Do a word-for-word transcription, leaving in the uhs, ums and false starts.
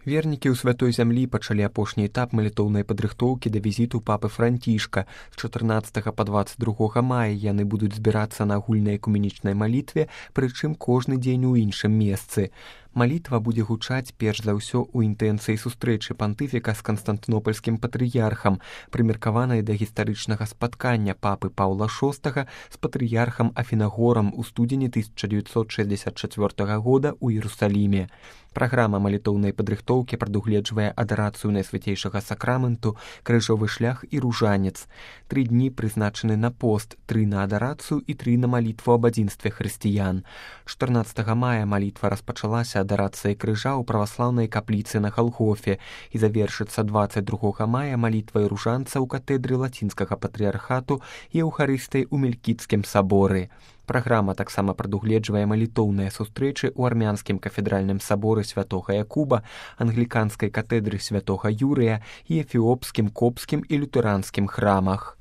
Вернікі ў святой зямлі пачалі апошні этап малітоўнай падрыхтоўкі да візіту папы Францішка. З чатырнаццатага па дваццаць другога мая яны будуць збірацца на агульнай экуменічнай малітве, прычым кожны дзень у іншым месцы. Малітва будзе гучаць перш за ўсё ў інтэнцыі сустрэчы пантыфіка з канстантынопальскім патрыярхам, прымеркаванай да гістарычнага спаткання папы Паўла шостага з патрыярхам Афінагорам у студзені тысяча дзевяцьсот шэсцьдзесят чацвёртага года ў Іерусаліме. Праграма малітоўнай падрыхтоўкі прадугледжвае адарацыю найсвяцейшага сакраменту, крыжовы шлях і ружанец. Тры дні прызначаны на пост, тры на адарацыю і тры на малітву аб адзінстве хрысціян. чатырнаццатага мая малітва распачалася адарацыяй крыжа ў праваслаўнай капліцы на Галгофе і завершыцца дваццаць другога мая малітвай ружанца ў катэдры лацінскага патрыярхату і эўхарыстыяй у Мелькіцкім саборы. Праграма таксама прадугледжвае малітоўныя сустрэчы ў армянскім кафедральным саборы святога Якуба, англіканскай катэдры святога Юрыя і эфіопскім, копскім і лютэранскім храмах.